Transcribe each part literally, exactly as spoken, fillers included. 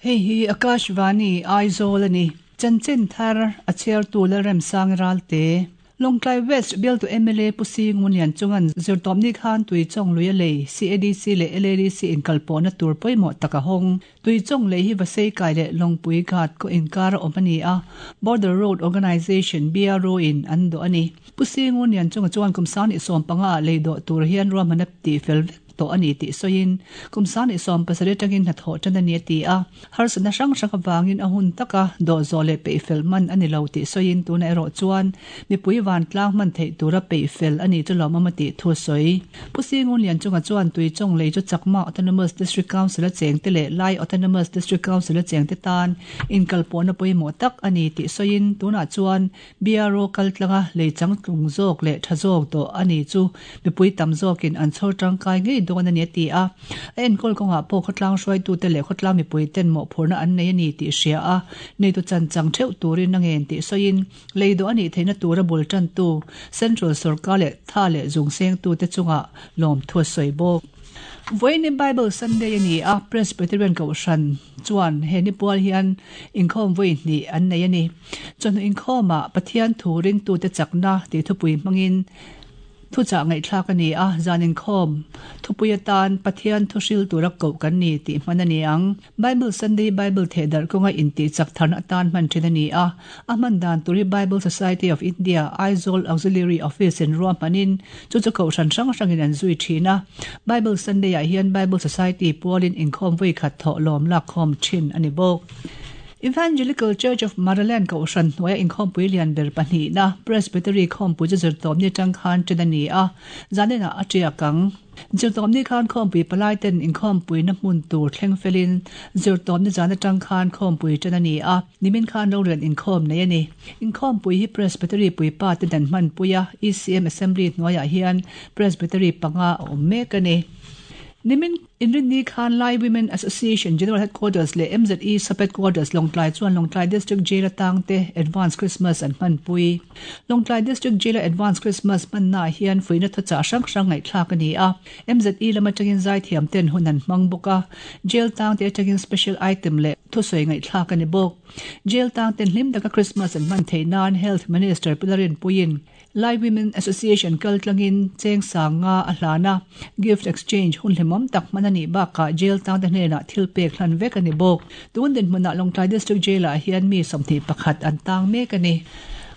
Hei hi Akashvani Aizawl ani. Chanchin thar a chhiar tu Lalremsang Ralte. Lawngtlai West bialtu M L A Pu Singunlian chungan zirtawpni khan Tuichawng lui a lei C A D C leh L A D C inkalpawhna tur pawimawh tak a hawng. Tuichawng lei hi Vasei kai leh Lawngpui Ghat khaw inkar a awm a ni a, Border Road Organisation, B R O in an dawh a ni. Pu Singunlian chunga chuan kum sang sawm panga ah lei dawh tur hian ruahmanna tih fel vek tawh a ni tih sawiin kum sang sawm pasarih atangin hnathawh tan a ni a ti a. Harsatna hrang hrang avangin a hun taka dawh zawh leh peih fel man a ni lo tih sawiin tuna erawh chuan mipui vantlang hman theih tura peih fel a ni chu lawmawm a tih thu sawi. Pu Singunlian chunga chuan Tuichawng lei chu Chakma Autonomous District Council a chengte leh Lai Autonomous District Council a chengte tan inkalpawhna pawimawh tak a ni tih sawiin tunah chuan B R O kaltlanga lei changtlung zawk leh tha zawk dawh a ni chu mipui tam zawkin an chhawr tangkai ngei dawn a ni a ti a. A enkawl kawngah pawh khawtlang hruaitute leh khawtlang mipui ten mawhphurhna an nei a ni tih hria a neitu chan chang theuh turin a ngen tih sawiin lei dawh a nih theihna tura bul tantu Central Sarkar leh tha leh zung sengtu te chunga lawm thu a sawi bawk. Vawiin Bible Sunday ani a, Presbyterian Kohhran chuan he ni pual hian inkhawm vawi hnih an nei ani. Chawhnu inkhawmah Pathian thu ringtute chakna tih thupui hmangin thuchah ngaihthlak ani a, zan inkhawm thupui atan Pathian thu hril tura koh kan ni tih hman ani ang. Bible Sunday Bible thehdar kawnga intih chak tharna atan hman thin ani a. A hman dan turi Bible Society of India Aizawl Auxiliary Office in ruahmanin chu chu kohhran hrang hrangin an zui thin a. Bible Sunday ah hian Bible Society pualin inkhawm vawi khat thawh lawm lak khawm thin ani bawk. Evangelical Church of Maraland Kohhran hnuaia inkhawmpui lian ber pahnih na Presbytery khawmpui chu zirtawpni atang khan ṭan a ni a, zaninah a ṭiak ang. Zirtawpni khan khawmpui palai ten inkhawmpui na hmun tur thleng felin zirtawpni zan atang khan khawmpui ṭan a ni a, nimin khan rorel inkhawm nei a ni. Inkhawmpui hi Presbytery puipa te dan hmanpui a, E C M Assembly hnuaiah hian Presbytery panga a awm mek a ni. Nimin Inrinni Khan Lai Women Association General Headquarters leh M Z E Sub Headquarters Lawngtlai chuan Lawngtlai District Jail atangte Advance Christmas an hmanpui. Lawngtlai District Jail Advance Christmas hmanna hian fuihna thuchah hrang hrang ngaihthlak a ni a. M Z E lama tangin zaithiam ten hun an hmang bawk a. Jail tangte atangin special item leh thusawi ngaihthlak a ni bawk. Jail tang ten hlim taka Christmas an hman theih nan Health Minister Pi Lalrinpuiin Lai Women Association kaltlangin cheng sanga a hlana. Gift exchange hun hlimawm tak hman ani bakah jail tang te hnenah thil pek hlan vek ani bawk. Tun din hmunah Lawngtlai District Jail ah hian mi sawmhnih pakhat an tang mek ani.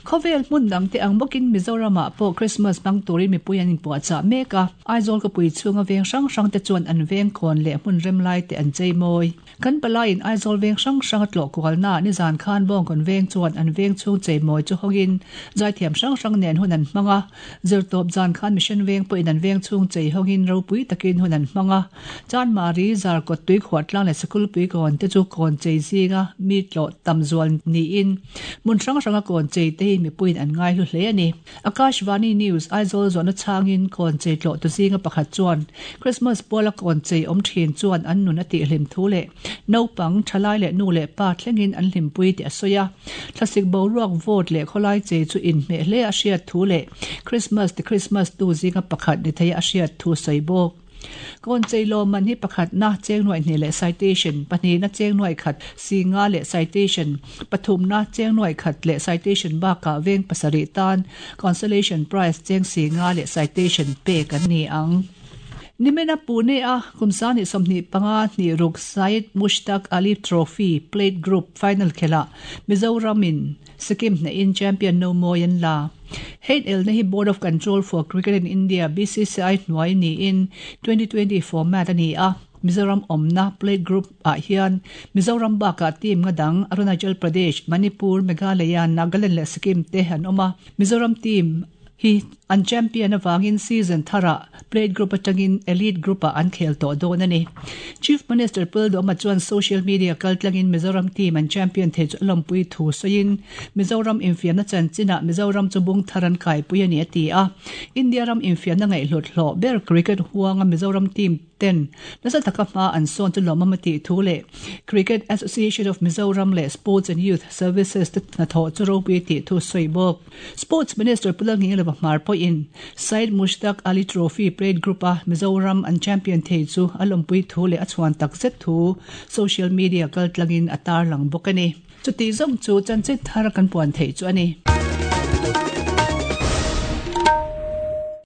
Khawvel hmun dang te ang bawkin Mizoramah pawh Christmas hmang turin mipui an inpuahchah mek a. Aizawl khawpui chhunga veng hrang hrang te chuan an veng khawn leh hmun rem lai te an chei mawi. Kan palaiin Aizawl veng hrang hrang a tlawh kualna nizan khan Bawngkawn veng chuan an veng chhung chei mawi chu hawngin zaithiam hrang hrang nen hun an hmang a. Zirtawp zan khan Mission veng pawhin an veng chhung chei hawngin ropui takin hun an hmang a. Chanmari, Zarkawt, Tuikhuahtlang leh Sikulpui kawn te chu kawn chei zinga mi tlawh tam zual niin hmun hrang hranga kawn chei te hi mipuiin an ngai hlu hle a ni. Akashvani News Aizawl zawhna changin kawn chei tlawh tu zinga pakhat chuan Christmas puala kawn chei awm thin chuan an nun a tih hlim thu leh naupang thalai leh nu leh pa thlengin an hlimpui tih a sawi a. Thlasik boruak vawt leh khawlai chei chu inhmeh hle a hriat thu leh Christmas ti Christmas tu zinga pakhat ni thei a hriat thu sawi bawk. Kawn chei lawm man hi pakhat na cheng nuai hnih leh citation, pahnih na cheng nuai khat singa leh citation, pathum na cheng nuai khat leh citation bakah veng pasarih tan consolation prize cheng singa leh citation pek an ni ang. Nimena Pune a kumsani sawmhnih panga hnih ruk Syed Mushtaq Ali Trophy Plate Group Final khela Mizoramin Sikkim hnehin champion no mawi an la. Hein elna hi Board of Control for Cricket in India, B C C I hnuai niin twenty twenty format ani a. Mizoram awmna Plate Group ah hian Mizoram bakah team nga dang Arunachal Pradesh, Manipur, Meghalaya, Nagaland leh Sikkim te an awm a. Mizoram team hi an champion awangin season thara Plate Group atangin Elite Group ah an khel tawh dawn ani. Chief Minister Pu Lalduhoma chuan social media kaltlangin Mizoram team an champion thei chu a lawmpui thu sawiin Mizoram infiamna chanchinah Mizoram chu bung thar an kaipui ani a ti a. India ram infiamna ngaihhlut hlawh ber cricket huanga Mizoram team ten nasa taka hma an sawn chu lawmawm a tih thu leh Cricket Association of Mizoram leh Sports and Youth Services te hnathawh chu ropui a tih thu a sawi bawk. Sports Minister Pu Lalnghilova Hmar pawhin Syed Mushtaq Ali Trophy Plate Group-a Mizoram an champion thei chu a lawmpui thu leh a chhuan takzet thu social media kaltlangin a tarlang bawk a ni. Chuti zawng chu chanchin thar kan puan theih chu a ni.